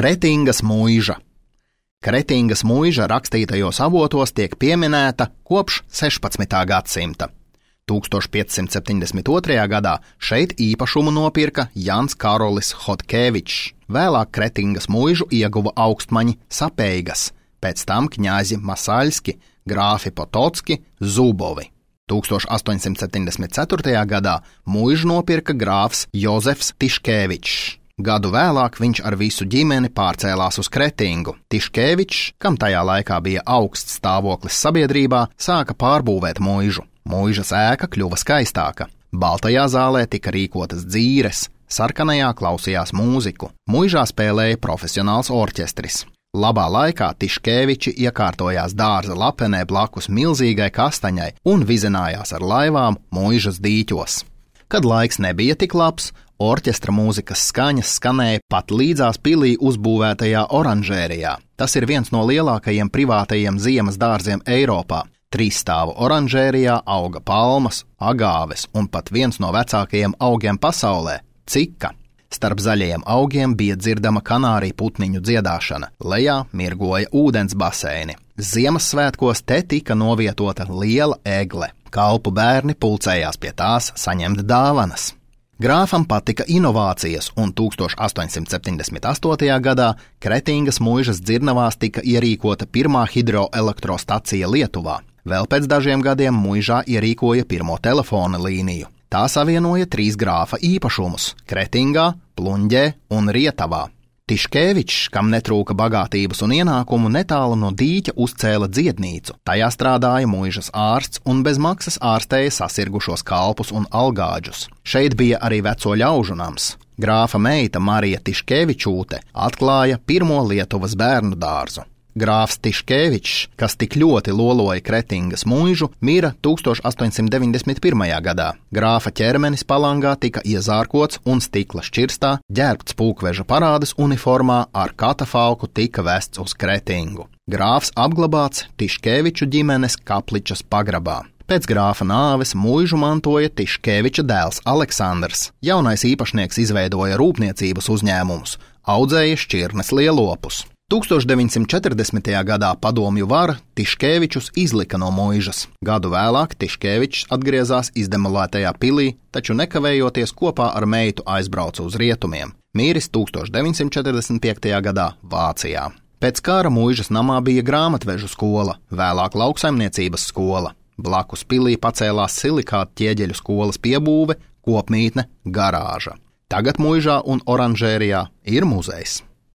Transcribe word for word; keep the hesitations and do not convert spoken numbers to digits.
Kretingas muiža. Kretingas muiža rakstītajos avotos tiek pieminēta kopš sešpadsmitā gadsimta. tūkstoš piecsimt septiņdesmit otrajā gadā šeit īpašumu nopirka Jans Karolis Hodkevičs. Vēlāk Kretingas muižu ieguva augstmaņi Sapeigas, pēc tam kņāzi Masaļski, grāfi Potocki, Zubovi. tūkstoš astoņsimt septiņdesmit ceturtajā gadā muižu nopirka grāfs Jozefs Tiškevičs. Gadu vēlāk viņš ar visu ģimeni pārcēlās uz Kretingu. Tiškevičs, kam tajā laikā bija augsts stāvoklis sabiedrībā, sāka pārbūvēt muižu. Muižas ēka kļuva skaistāka. Baltajā zālē tika rīkotas dzīres, sarkanajā klausījās mūziku. Muižā spēlēja profesionāls orķestris. Labā laikā Tiškeviči iekārtojās dārza lapenē blakus milzīgai kastaņai un vizinājās ar laivām muižas dīķos. Kad laiks nebija tik labs, orķestra mūzikas skaņas skanēja pat līdzās pilī uzbūvētajā oranžērijā. Tas ir viens no lielākajiem privātajiem ziemas dārziem Eiropā. Trīsstāvu oranžērijā auga palmas, agāves un pat viens no vecākajiem augiem pasaulē – cika. Starp zaļajiem augiem bija dzirdama kanāriju putniņu dziedāšana, lejā mirgoja ūdens baseini. Ziemassvētkos te tika novietota liela egle. Kalpu bērni pulcējās pie tās saņemt dāvanas. Grāfam patika inovācijas, un tūkstoš astoņsimt septiņdesmit astotajā gadā Kretingas muižas dzirnavās tika ierīkota pirmā hidroelektrostacija Lietuvā. Vēl pēc dažiem gadiem muižā ierīkoja pirmo telefona līniju. Tā savienoja trīs grāfa īpašumus – Kretingā, Pluņģē un Rietavā. Tiškevičs, kam netrūka bagātības un ienākumu, netālu no dīķa uzcēla dziednīcu. Tajā strādāja muižas ārsts un bez maksas ārstéja sasirgušos kalpus un algāģus. Šeit bija arī veco ļaužu nams. Grāfa meita Marija Tiškevičūte atklāja pirmo Lietuvas bērnu dārzu. Grāfs Tiškevičs, kas tik ļoti loloja Kretingas muižu, mira tūkstoš astoņsimt deviņdesmit pirmajā gadā. Grāfa ķermenis palangā tika iezārkots un stikla šķirstā, ģērbts pulkveža parādes uniformā, ar katafalku tika vests uz Kretingu. Grāfs apglabāts Tiškeviču ģimenes Kapličas pagrabā. Pēc grāfa nāves muižu mantoja Tiškeviča dēls Aleksandrs. Jaunais īpašnieks izveidoja rūpniecības uzņēmumus, audzēja šķirnes lielopus. tūkstoš deviņsimt četrdesmitajā gadā padomju vara Tiškevičus izlika no muižas. Gadu vēlāk Tiškevičs atgriezās izdemolētajā pilī, taču nekavējoties kopā ar meitu aizbrauca uz rietumiem. Mīris tūkstoš deviņsimt četrdesmit piektajā gadā Vācijā. Pēc kara muižas namā bija grāmatvežu skola, vēlāk lauksaimniecības skola. Blakus pilī pacēlās silikāta ķieģeļu skolas piebūve, kopmītne, garāža. Tagad muižā un oranžērijā ir muzejs.